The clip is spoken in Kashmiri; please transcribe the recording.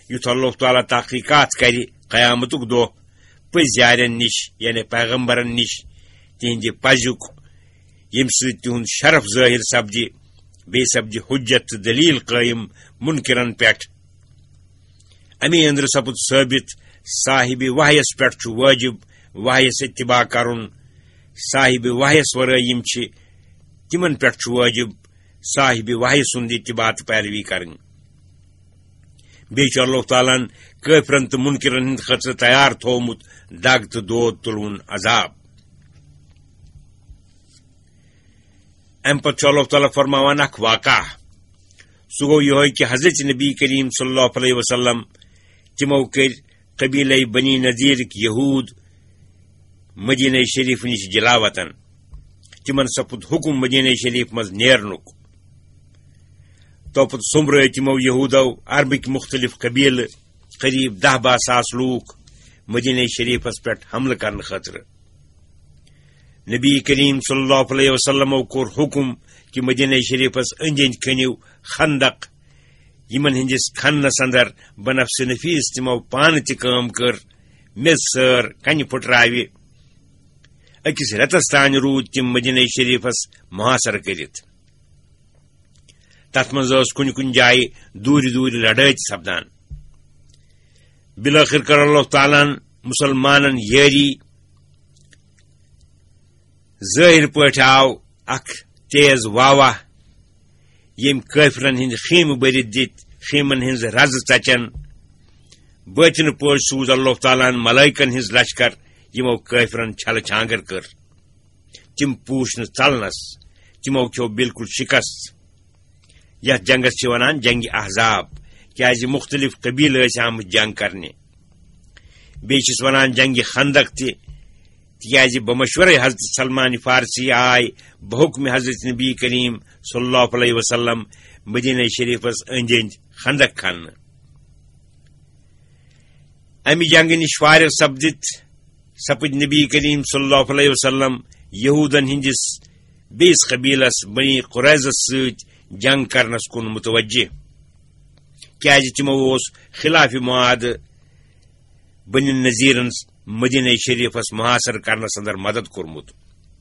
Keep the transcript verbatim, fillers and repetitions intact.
یُتھ اللہ تعالیٰ تحقیقات کرِ قیامتُک دۄہ پٔزۍ یارٮ۪ن نِش، یعنی پیغمبرن نِش، تِہنٛدِ پزیُک، ییٚمہِ سۭتۍ تِہُنٛد شرف ظٲہِر سپدِ، بیٚیہِ سپدِ حجت تہٕ دلیل قٲیِم منکرن پٮ۪ٹھ۔ اَمی أنٛدرٕ سپُد ثٲبت، صاحب وحیس پٮ۪ٹھ چھُ وٲجِب وحیس اتباع کرُن۔ صاحب وحیس ورٲے یِم چھِ، تِمن پٮ۪ٹھ چھُ وٲجِب صاحب وحی سُنٛد اتباع تہٕ پیروی کرٕنۍ۔ بیٚیہِ چھُ اللہ تعالیٰ ہن کٲفرن تہٕ منکرن ہٕنٛدِ خٲطرٕ تیار تھوومُت دگ تہٕ دود تُلوُن عذاب۔ اَمہِ پتہٕ چھُ اللہ تعالیٰ فرماوان اکھ واقعہ۔ سُہ گوٚو یِہوٚے کہِ حضرت نبی کریم صلی اللہ علیہ وسلم، تِمو کٔرۍ قبیلے بنی نذیرٕکۍ یہوٗد مدینہ شریف نِش جلاوطن۔ تِمن سپُد حُکم مدینہ شریف منٛز نیرنُک۔ توپتہٕ سوٚمبرٲے تِمو یہوٗدو عربٕکۍ مُختٔلِف قبیلہٕ، قریب دَہ باہ ساس لوٗکھ، مدینہ شریفس پٮ۪ٹھ حملہٕ کرنہٕ خٲطرٕ۔ نبی کریم صلی اللہ علیہ وسلمو کوٚر حُکم کہِ مدینہ شریفس أنٛدۍ أنٛدۍ کھٔنِو خندق، یِمن ہٕنٛدِس کھننس اندر بنفس نفیس تِمو پانہٕ تہِ کٲم کٔر، میٚژ سٲر، کنہِ پھُٹراوِ۔ أکِس رٮ۪تس تام روٗدۍ تِم مدینہ شریفس محاصرٕ کٔرِتھ۔ تتھ منٛز ٲس کُنہِ کُنہِ جایہِ دوٗرِ دوٗرِ لڑٲے تہِ سپدان۔ بالٲخٕر کٔر اللہ تعالیٰ ہن مُسلمانن یٲری۔ ظٲہِر پٲٹھۍ آو اکھ تیز واوہ، ییٚمۍ کٲفرن ہٕنٛدۍ خیمہٕ بٔرِتھ دِتۍ، خیمن ہٕنٛز رزٕ ژچن۔ باطنہٕ پٲٹھۍ سوٗز اللہ تعالیٰ ہن ملائکن ہٕنٛز لشکر، یِمو کٲفرن چھلہٕ چھانگر کٔر۔ تِم پوٗش نہٕ ژلنس، تِمو کھیوٚو بالکل شکست۔ یتھ جنگس چھِ ونان جنگ احزاب، کیازِ مُختٔلِف قبیلہٕ ٲسۍ آمٕتۍ جنگ کرنہِ۔ بیٚیہِ چھِس ونان جنگ خندق تہِ، تِکیازِ بمشورے حضرت سلمان فارسی آے بحکم حضرت نبی کریم صلی اللہ علیہ وسلم مدینہ شریفس أنٛدۍ أنٛدۍ خندق کھننہٕ۔ امہِ جنگہٕ نِش فارغ سپدِتھ سپٕدۍ نبی کریم صلی اللہ علیہ وسلم یہودن ہٕنٛدِس بیٚیِس قبیلس بنی قریظس سۭتۍ جنگ کرنس کُن متوجہ، کیازِ تِمو اوس خلاف معاہدٕ بنی نذیرن مدینہ شریفس محاصرٕ کرنس اندر مدد کوٚرمُت۔